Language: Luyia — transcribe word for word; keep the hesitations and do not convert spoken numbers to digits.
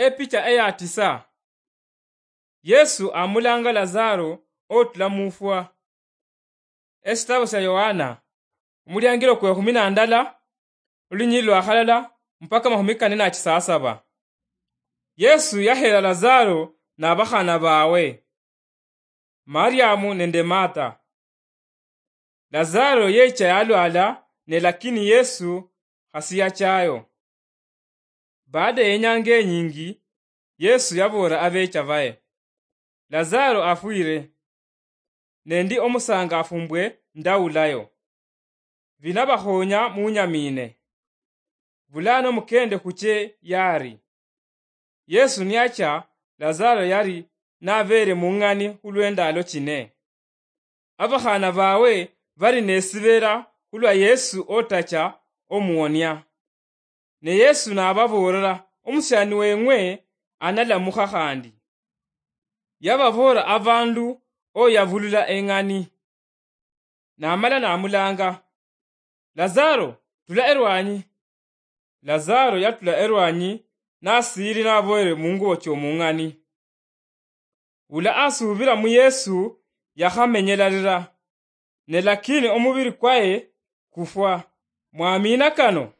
Epicha eya tisa. Yesu amulanga Lazaro otula mufwa. Esitabo sya Yohana, omuliangilo kwe khumi na ndala, olunyili lwa khalala mpaka mahumi kane na chisasaba. Yesu yahera Lazaro na bakhana bawe, Mariamu nende Martha. Lazaro yecha yalwala, ne lakini Yesu khasiyachayo. Baada yenyanga enyingi, Yesu yaboolera abecha baye, "Lazaro afwire, ne ndi omusangafu mbwe ndawulayo. Binabakhonya munyamine. Bulano mukende khuche yari." Yesu niyacha, Lazaro yari nabeere mung'ani khulwendalo chine. Abakhana bawe bari nesibera khulwa Yesu otacha omuwonia. Ne Yesu nababoolera, "Omusiani weng'we analamukha khandi." Yababoolera abandu oyabulula eng'ani. Namala namulanga, "Lazaro, tula erwanyi." Lazaro yatula erwanyi, nasiiri naboyere mungubo chomung'ani. Ula asubira mu Yesu yakhamenyelarira, ne lakini omubiri kwaye kufwa. Mwamina kano?